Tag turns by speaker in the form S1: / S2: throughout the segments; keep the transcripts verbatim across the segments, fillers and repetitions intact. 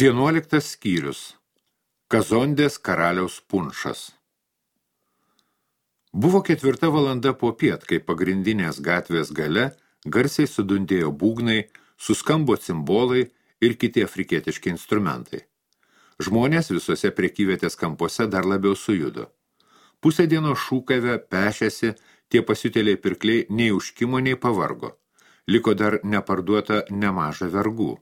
S1: Vienuoliktas skyrius. Kazondės karaliaus punšas. Buvo ketvirta valanda popiet, kai pagrindinės gatvės gale garsiai sudundėjo būgnai, suskambo cimbolai ir kiti afrikietiški instrumentai. Žmonės visose prekyvietės kampuose dar labiau sujudo. Pusę dienos šūkavę, pešėsi, tie pasiutėliai pirkliai nei užkimo, nei pavargo. Liko dar neparduota nemaža vergų.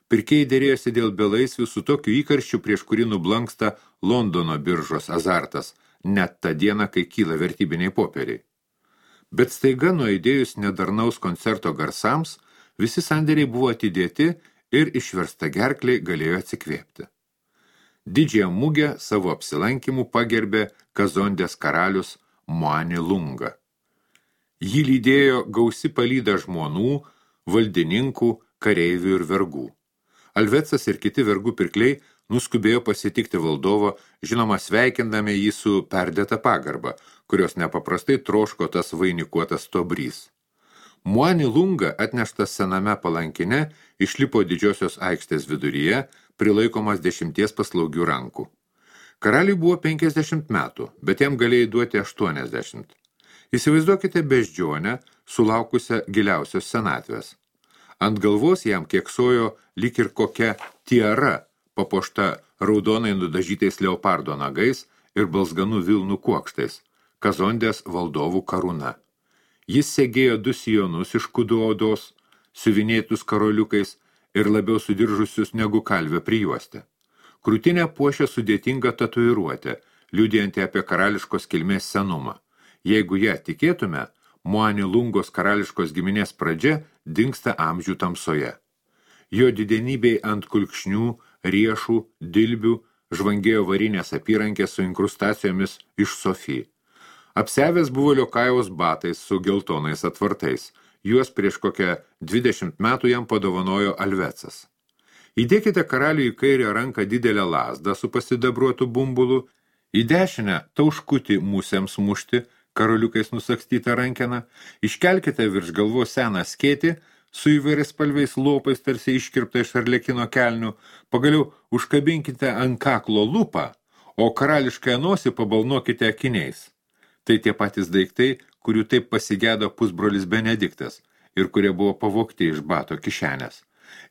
S1: Pirkėjai dėrėjosi dėl belaisvių su tokiu įkarščiu, prieš kurį nublanksta Londono biržos azartas, net tą dieną, kai kyla vertybiniai popieriai. Bet staiga nuaidėjus nedarnaus koncerto garsams, visi sandėriai buvo atidėti ir išversta gerkliai galėjo atsikvėpti. Didžiąją mugę savo apsilankimų pagerbė Kazondės karalius Muani Lunga. Jį lydėjo gausi palyda žmonų, valdininkų, kareivių ir vergų. Alvecas ir kiti vergų pirkliai nuskubėjo pasitikti valdovo, žinoma sveikindami jį su perdėta pagarba, kurios nepaprastai troško tas vainikuotas tobrys. Muani Lunga, atneštas sename palankine, išlipo didžiosios aikštės viduryje, prilaikomas dešimties paslaugių rankų. Karaliui buvo penkiasdešimt metų, bet jam galėjai duoti aštuoniasdešimt. Įsivaizduokite beždžionę, sulaukusią giliausios senatvės. Ant galvos jam keksojo lyg ir kokia tiara, papuošta raudonai nudažytais leopardo nagais ir balzganų vilnų kuokštais, Kazondės valdovų karūna. Jis segėjo du sijonus iš kudu odos, siuvinėtus karoliukais ir labiau sudiržusius negu kalvė prijuostę. Krūtinę puošė sudėtinga tatuiruotė, liudijanti apie karališkos kilmės senumą. Jeigu ją tikėtume, Muani Lungos karališkos giminės pradžia dingsta amžių tamsoje. Jo didenybei ant kulkšnių, riešų, dilbių žvangėjo varinės apyrankės su inkrustacijomis iš Sofijai. Apsevęs buvo Liokajaus batais su geltonais atvartais. Juos prieš kokią dvidešimt metų jam padovanojo Alvecas. Įdėkite karaliui į kairę ranką didelę lazdą su pasidabruotu bumbulu, į dešinę tauškutį musėms mušti, karoliukais nusakstytą rankeną, iškelkite virš galvos seną skėtį su įvairiais spalviais lopais tarsi iškirpta iš arlekino kelnių, pagaliau užkabinkite ant kaklo lupą, o karališkąją nosį pabalnokite akiniais. Tai tie patys daiktai, kurių taip pasigėdo pusbrolis Benediktas ir kurie buvo pavogti iš bato kišenės.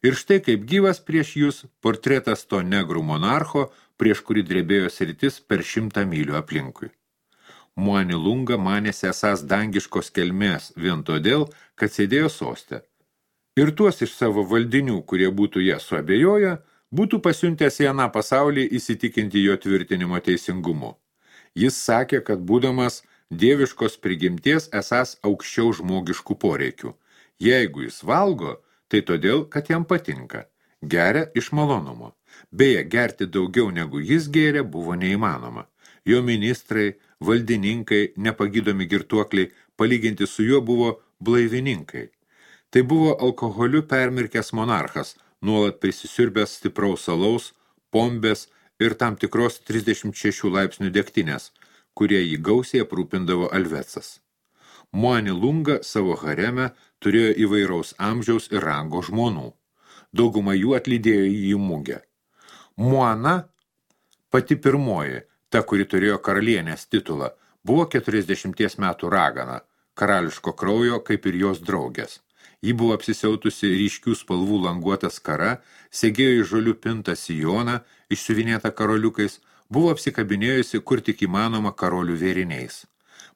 S1: Ir štai kaip gyvas prieš jūs portretas to negrų monarcho, prieš kurį drebėjo sritis per šimtą mylių aplinkui. Muani Lunga manėsi esąs dangiškos kelmės vien todėl, kad sėdėjo soste. Ir tuos iš savo valdinių, kurie būtų ją suabejoję, būtų pasiuntęs į aną pasaulį įsitikinti jo tvirtinimo teisingumu. Jis sakė, kad būdamas dieviškos prigimties esąs aukščiau žmogiškų poreikių. Jeigu jis valgo, tai todėl, kad jam patinka. Geria iš malonumo. Beje, gerti daugiau negu jis gėrė buvo neįmanoma. Jo ministrai, valdininkai, nepagydomi girtuokliai, palyginti su juo buvo blaivininkai. Tai buvo alkoholiu permirkęs monarchas, nuolat prisisiurbęs stipraus alaus, pombės ir tam tikros trisdešimt šešių laipsnių degtinės, kurie jį gausiai aprūpindavo Alvecas. Muani Lunga savo hareme turėjo įvairaus amžiaus ir rango žmonų. Dauguma jų atlydėjo jį į mugę. Muana, pati pirmoji, ta, kuri turėjo karalienės titulą, buvo keturiasdešimties metų ragana, karališko kraujo kaip ir jos draugės. Ji buvo apsisiautusi ryškių spalvų languotą skara, segėjo į žolių pintą sijoną, išsiuvinėtą karoliukais, buvo apsikabinėjusi kur tik įmanoma karolių vėriniais.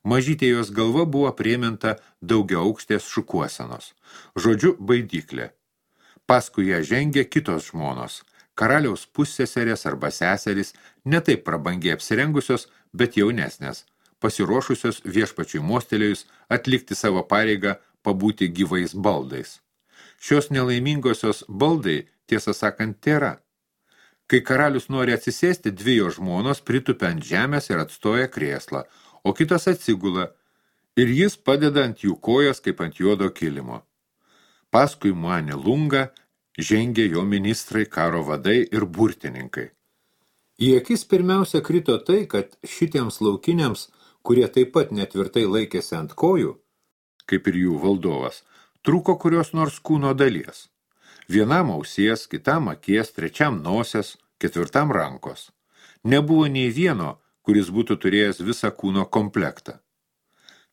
S1: Mažytė jos galva buvo prieminta daugia aukštės šukuosenos. Žodžiu, baidyklė. Paskui ją žengė kitos žmonos. Karaliaus pusseserės arba seserys, ne taip prabangiai apsirengusios, bet jaunesnės, pasiruošusios viešpačiui mostelėjus atlikti savo pareigą pabūti gyvais baldais. Šios nelaimingosios baldai, tiesą sakant, tėra. Kai karalius nori atsisėsti, dvi jo žmonos pritupia ant žemės ir atstoja krėslą, o kitos atsigula, ir jis padeda ant jų kojas kaip ant juodo kilimo. Paskui Muani Lunga žengė jo ministrai, karo vadai ir burtininkai. Į akis pirmiausia krito tai, kad šitiems laukiniams, kurie taip pat netvirtai laikėsi ant kojų, kaip ir jų valdovas, trūko kurios nors kūno dalies. Vienam ausies, kitam akies, trečiam nosies, ketvirtam rankos. Nebuvo nei vieno, kuris būtų turėjęs visą kūno komplektą.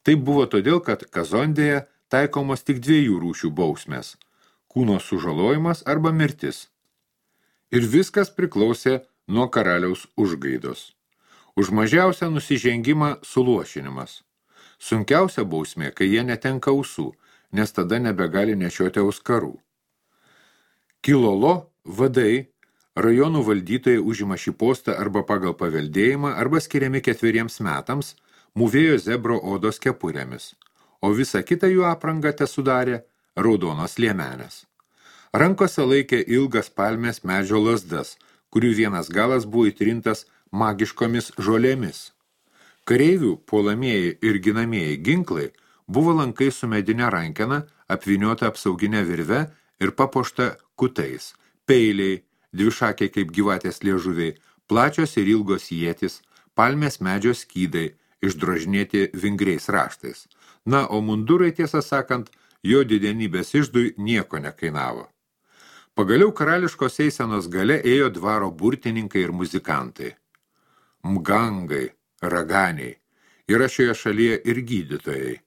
S1: Tai buvo todėl, kad Kazondėje taikomos tik dviejų rūšių bausmės – kūno sužalojimas arba mirtis. Ir viskas priklausė nuo karaliaus užgaidos. Už mažiausią nusižengimą suluošinimas. Sunkiausia bausmė, kai jie netenka ausų, nes tada nebegali nešioti auskarų. Kilolo vadai, rajonų valdytojai užima šį postą arba pagal paveldėjimą, arba skiriami ketveriems metams, mūvėjo zebro odos kepurėmis, o visą kitą jų aprangą tesudarė raudonos liemenės. Rankose laikė ilgas palmės medžio lazdas, kurių vienas galas buvo įtrintas magiškomis žolėmis. Kareivių puolamieji ir ginamieji ginklai buvo lankai su medinė rankena, apvyniota apsauginė virve ir papuošta kutais, peiliai, dvišakiai kaip gyvatės liežuviai, plačios ir ilgos ietis, palmės medžio skydai, išdrožinėti vingriais raštais. Na, o mundurai, tiesą sakant, jo didenybės išdui nieko nekainavo. Pagaliau karališkos eisenos gale ėjo dvaro burtininkai ir muzikantai. Mgangai, raganiai, yra šioje šalyje ir gydytojai.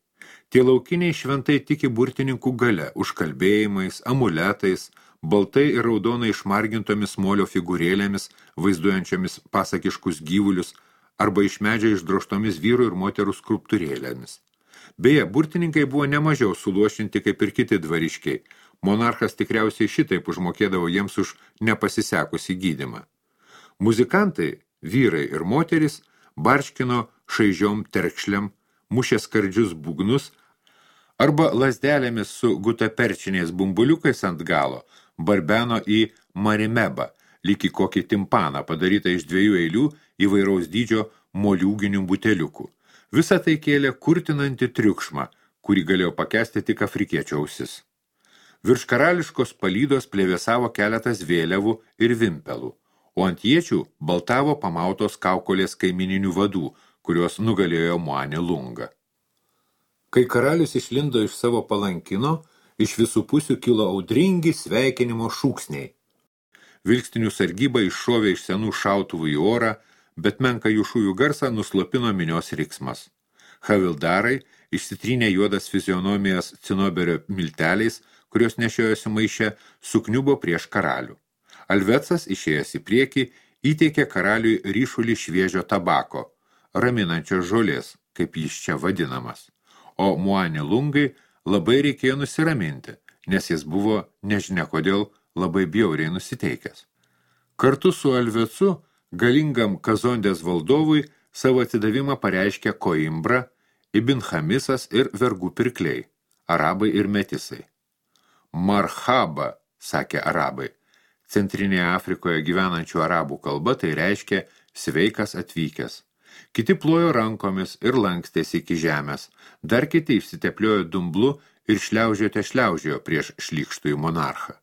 S1: Tie laukiniai šventai tiki burtininkų gale, užkalbėjimais, amuletais, baltai ir raudonai išmargintomis molio figūrėlėmis, vaizduojančiomis pasakiškus gyvulius, arba iš medžio išdrožtomis vyrų ir moterų skulptūrėlėmis. Beje, burtininkai buvo nemažiau suluošinti kaip ir kiti dvariškiai. Monarchas tikriausiai šitaip užmokėdavo jiems už nepasisekusį gydymą. Muzikantai, vyrai ir moteris, barškino šaižiom terkšliam, mušė skardžius būgnus, arba lazdelėmis su gutaperčiniais bumbuliukais ant galo barbeno į marimebą, lyg į kokį timpaną, padarytą iš dviejų eilių įvairaus dydžio moliūginių buteliukų. Visa tai kėlė kurtinantį triukšmą, kurį galėjo pakęsti tik afrikiečio ausis. Virš karališkos palydos plevėsavo keletas vėliavų ir vimpelų, o ant iečių baltavo pamautos kaukolės kaimininių vadų, kurios nugalėjo Muani Lunga. Kai karalius išlindo iš savo palankino, iš visų pusių kilo audringi sveikinimo šūksniai. Vilkstinių sargyba iššovė iš senų šautuvų į orą, bet menką jų šūvių garsą nuslopino minios riksmas. Havildarai išsitrynė juodas fizionomijas cinoberio milteliais, kurios nešiojosi maiše, sukniubo prieš karalių. Alvecas, išėjęs į priekį, įteikė karaliui ryšulį šviežio tabako, raminančios žolės, kaip jis čia vadinamas. O Muani Lungai labai reikėjo nusiraminti, nes jis buvo, nežinia kodėl, labai bjauriai nusiteikęs. Kartu su Alvecu, galingam Kazondės valdovui, savo atsidavimą pareiškė Koimbra, Ibn Hamisas ir vergų pirkliai, arabai ir metisai. Marhaba, sakė arabai. Centrinėje Afrikoje gyvenančių arabų kalba tai reiškia sveikas atvykęs. Kiti plojo rankomis ir lankstėsi iki žemės, dar kiti išsitepliojo dumblu ir šliaužiote šliaužiojo prieš šlykštųjų monarchą.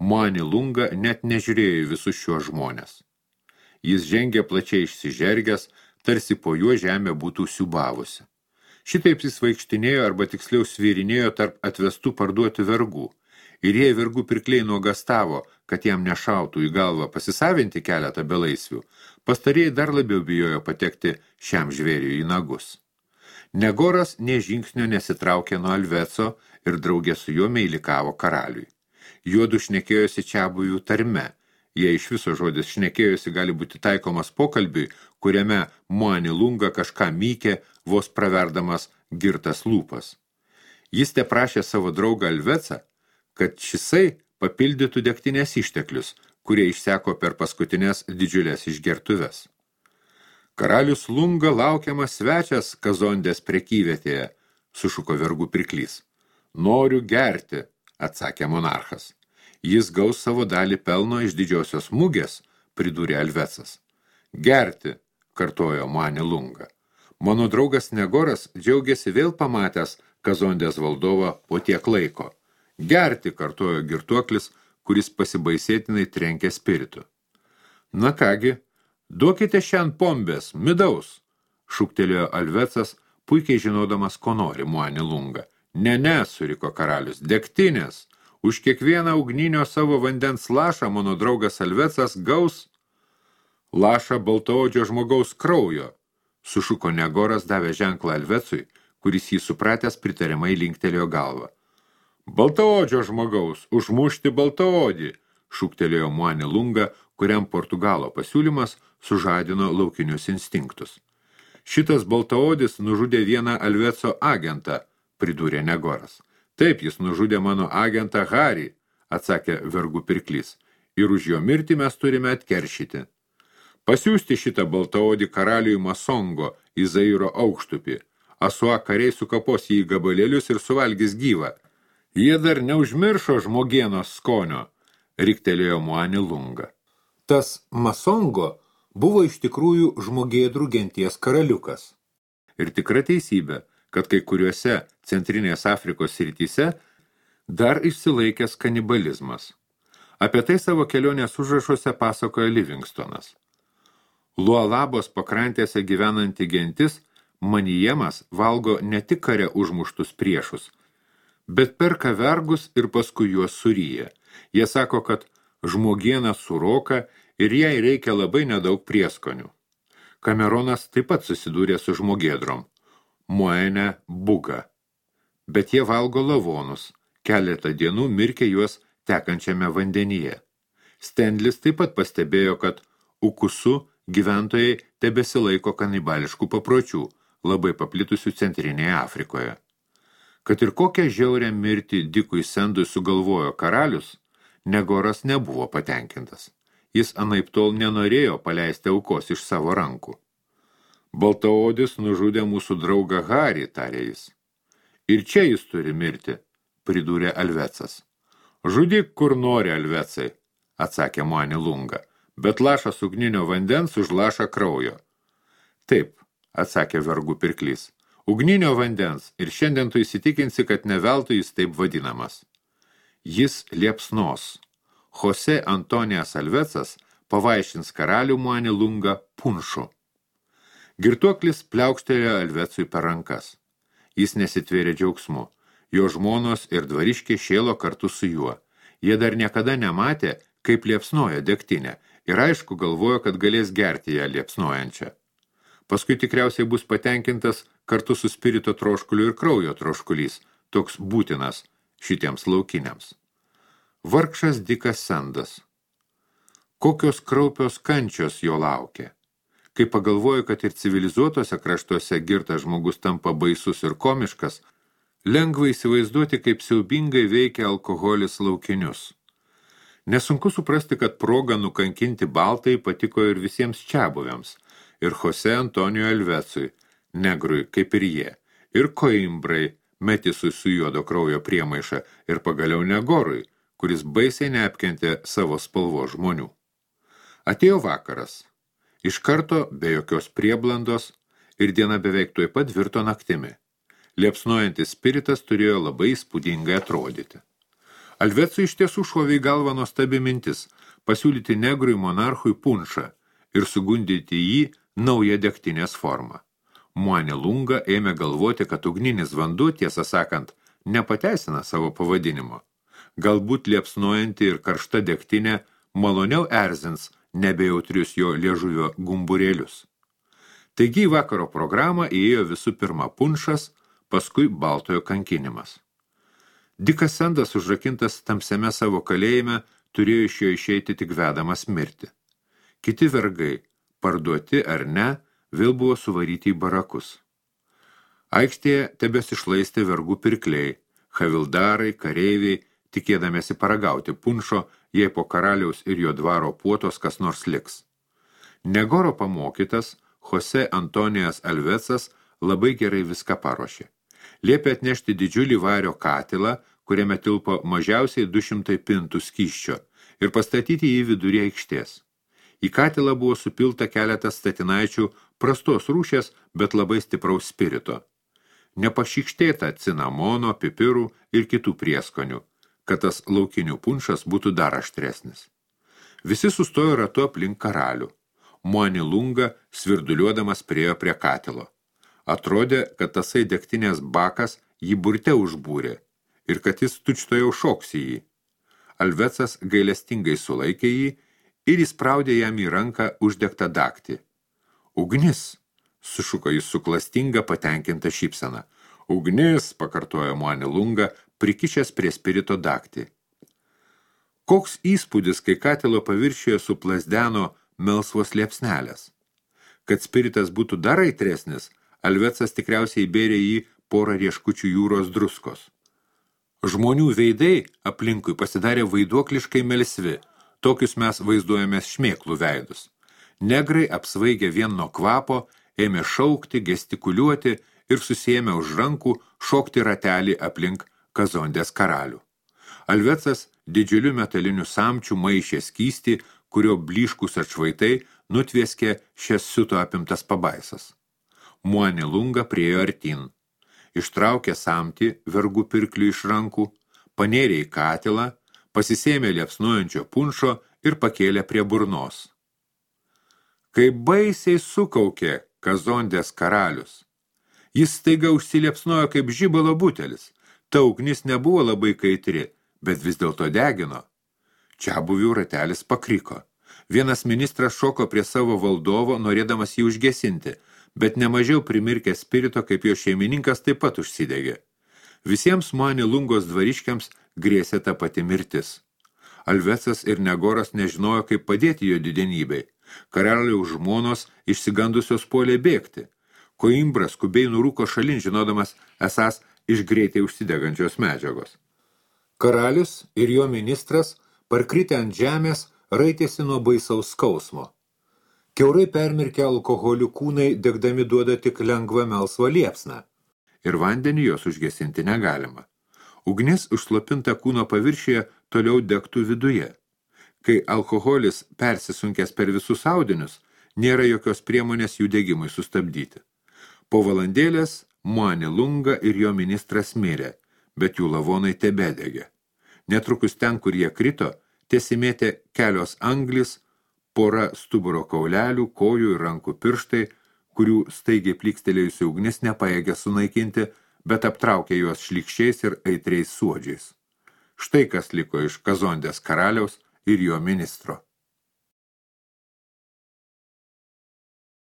S1: Muani Lunga net nežiūrėjo visus šiuos žmonės. Jis žengė plačiai išsižergęs, tarsi po juo žemė būtų siubavusi. Šitaip jis vaikštinėjo arba tiksliau svyrinėjo tarp atvestų parduoti vergų. Ir jei vergų pirkliai nuogastavo, kad jam nešautų į galvą pasisavinti keletą belaisvių, pastarėjai dar labiau bijojo patekti šiam žvėriui į nagus. Negoras nė žingsnio nesitraukė nuo Alveco ir draugė su juo meilikavo karaliui. Juodu šnekėjosi čiabuvių tarme. Jei iš viso žodis šnekėjosi gali būti taikomas pokalbiui, kuriame Muani Lunga kažką mykė, vos praverdamas girtas lūpas. Jis te prašė savo draugą Alvecą, kad šisai papildytų degtinės išteklius, kurie išseko per paskutinės didžiulės išgertuves. Karalius Lunga laukiamas svečias Kazondės prekyvietėje, sušuko vergų pirklys. Noriu gerti, atsakė monarchas. Jis gaus savo dalį pelno iš didžiosios mugės, pridūrė Alvecas. Gerti, kartojo Muani Lunga. Mano draugas Negoras džiaugiasi vėl pamatęs Kazondės valdovą po tiek laiko. Gerti, kartojo girtuoklis, kuris pasibaisėtinai trenkė spiritu. Na kągi, duokite šiandien pombės, midaus, šūktelėjo Alvecas, puikiai žinodamas, ko nori Muani Lunga. Ne, ne, suriko karalius, degtinės, už kiekvieną ugninio savo vandens lašą mano draugas Alvecas gaus lašą baltaodžio žmogaus kraujo, sušuko Negoras davė ženklą Alvecui, kuris jį supratęs pritariamai linktelėjo galvą. Baltaodžio žmogaus, užmušti baltaodį, šūktelėjo Muani Lunga, kuriam Portugalo pasiūlymas sužadino laukinius instinktus. Šitas baltaodis nužudė vieną Alveco agentą, pridūrė Negoras. Taip, jis nužudė mano agentą Harį, atsakė vergų pirklys, ir už jo mirtį mes turime atkeršyti. Pasiųsti šitą baltaodį karaliui Masongo į Zairo aukštupį. Asua kariai sukapos jį į gabalėlius ir suvalgys gyvą. Jie dar neužmiršo žmogienos skonio, riktelėjo Muani Lunga. Tas Masongo buvo iš tikrųjų žmogėdrų genties karaliukas. Ir tikra teisybė, kad kai kuriuose Centrinės Afrikos srityse dar išsilaikęs kanibalizmas. Apie tai savo kelionės užrašuose pasakoja Livingstonas. Lualabos pakrantėse gyvenanti gentis Manijemas valgo ne tik kare užmuštus priešus, bet perka vergus ir paskui juos suryja. Jie sako, kad žmogiena suroka ir jai reikia labai nedaug prieskonių. Kameronas taip pat susidūrė su žmogėdrom, Moene Buga. Bet jie valgo lavonus, keletą dienų mirkė juos tekančiame vandenyje. Stendlis taip pat pastebėjo, kad Ukusu gyventojai tebesilaiko kanibališkų papročių, labai paplitusių Centrinėje Afrikoje. Kad ir kokią žiaurę mirtį Dikui Sendui sugalvojo karalius, Negoras nebuvo patenkintas. Jis anaiptol nenorėjo paleisti aukos iš savo rankų. Baltaodis nužudė mūsų draugą Harį, tarė jis. Ir čia jis turi mirti, pridūrė Alvecas. Žudyk, kur nori, Alvecai, atsakė Muani Lunga, bet lašas ugninio vandens už lašą kraujo. Taip, atsakė vergų pirklys, ugninio vandens ir šiandien tu įsitikinsi, kad ne veltui jis taip vadinamas. Jis liepsnos. Jose Antonijas Alvecas pavaišins karalių Muani Lunga punšu. Girtuoklis pliaukštelėjo Alvecui per rankas. Jis nesitvėrė džiaugsmu. Jo žmonos ir dvariškė šėlo kartu su juo. Jie dar niekada nematė, kaip liepsnoja degtinė, ir aišku galvojo, kad galės gerti ją liepsnojančią. Paskui tikriausiai bus patenkintas kartu su spirito troškuliu ir kraujo troškulys, toks būtinas šitiems laukiniams. Vargšas Dikas Sendas. Kokios kraupios kančios jo laukia. Kai pagalvoju, kad ir civilizuotose kraštuose girtas žmogus tampa baisus ir komiškas, lengva įsivaizduoti, kaip siaubingai veikia alkoholis laukinius. Nesunku suprasti, kad proga nukankinti baltai patiko ir visiems čiabuviams, ir Jose Antonijo Alvecui, negrui kaip ir jie, ir Koimbrai, metisui su juodo kraujo priemaiša, ir pagaliau Negorui, kuris baisiai neapkentė savo spalvo žmonių. Atėjo vakaras. Iš karto, be jokios prieblandos, ir diena beveik tuoj pat virto naktimi. Liepsnojantis spiritas turėjo labai įspūdingai atrodyti. Alvecui iš tiesų šovė į galvą nuostabi mintis pasiūlyti negrui monarchui punšą ir sugundyti jį naują degtinės formą. Muani Lunga ėmė galvoti, kad ugninis vanduo, tiesą sakant, nepateisina savo pavadinimo. Galbūt liepsnojanti ir karšta degtinė maloniau erzins nebejautrius jo liežuvio gumburėlius. Taigi į vakaro programą įėjo visų pirma punšas, paskui baltojo kankinimas. Dikas Sendas užrakintas tamsiame savo kalėjime turėjo iš jo išeiti tik vedamas mirti. Kiti vergai, parduoti ar ne, vėl buvo suvaryti į barakus. Aikštėje tebesišlaistė vergų pirkliai, havildarai, kareiviai, tikėdamėsi paragauti punšo, jei po karaliaus ir jo dvaro puotos kas nors liks. Negoro pamokytas, Jose Antonijas Alvecas labai gerai viską paruošė. Liepė atnešti didžiulį vario katilą, kuriame tilpo mažiausiai du šimtai pintų skysčio, ir pastatyti jį vidury aikštės. Į katilą buvo supilta keletas statinaičių prastos rūšės, bet labai stipraus spirito. Nepašykštėta cinamono, pipirų ir kitų prieskonių, kad tas laukinių punšas būtų dar aštresnis. Visi sustojo ratu aplink karalių. Muani Lunga svirduliuodamas priėjo prie katilo. Atrodė, kad tasai degtinės bakas jį burte užbūrė ir kad jis tučtojau šoks į jį. Alvecas gailestingai sulaikė jį ir įspraudė jam į ranką uždegtą daktį. Ugnis, sušuko jis su klastinga patenkinta šypsena. Ugnis, pakartojo Muani Lunga, prikišęs prie spirito daktį. Koks įspūdis, kai katilo paviršiuje suplasdeno melsvos liepsnelės. Kad spiritas būtų dar aitresnis, Alvecas tikriausiai įbėrė jį porą rieškučių jūros druskos. Žmonių veidai aplinkui pasidarė vaiduokliškai melsvi, tokius mes vaizduojamės šmėklų veidus. Negrai apsvaigę vien nuo kvapo, ėmė šaukti, gestikuliuoti ir susiėmę už rankų šokti ratelį aplink Kazondės karalių. Alvecas didžiuliu metaliniu samčiu maišė skystį, kurio blyškus atšvaitai nutvieskė šias siuto apimtas pabaisas. Muani Lunga priejo artin. Ištraukė samtį vergų pirklių iš rankų, panėrė į katilą, pasisėmė liepsnuojančio punšo ir pakėlė prie burnos. Kai baisiai sukaukė Kazondės karalius. Jis staiga užsiliepsnojo kaip žibalo butelis. Ta ugnis nebuvo labai kaitri, bet vis dėlto degino. Čiabuvių ratelis pakriko. Vienas ministras šoko prie savo valdovo, norėdamas jį užgesinti, bet nemažiau primirkęs spirito, kaip jo šeimininkas taip pat užsidegė. Visiems Muani Lungos dvariškiams grėsė ta pati mirtis. Alvecas ir Negoras nežinojo, kaip padėti jo didenybei. Karaliaus žmonos išsigandusios puolė bėgti. Koimbras skubiai nurūko šalin, žinodamas esas iš greitai užsidegančios medžiagos. Karalius ir jo ministras, parkritę ant žemės, raitėsi nuo baisaus skausmo. Kiaurai permirkę alkoholių kūnai degdami duoda tik lengvą melsvą liepsną. Ir vandenį jos užgesinti negalima. Ugnis užslopinta kūno paviršiuje toliau degtų viduje. Kai alkoholis persisunkęs per visus audinius, nėra jokios priemonės jų degimui sustabdyti. Po valandėlės Muani Lunga ir jo ministras mirė, bet jų lavonai tebedegė. Netrukus ten, kur jie krito, tiesimėtė kelios anglis, pora stuburo kaulelių, kojų ir rankų pirštai, kurių staigiai plykstelėjusi ugnis nepajėgė sunaikinti, bet aptraukė juos šlykščiais ir aitriais suodžiais. Štai kas liko iš Kazondės karaliaus ir jo ministro.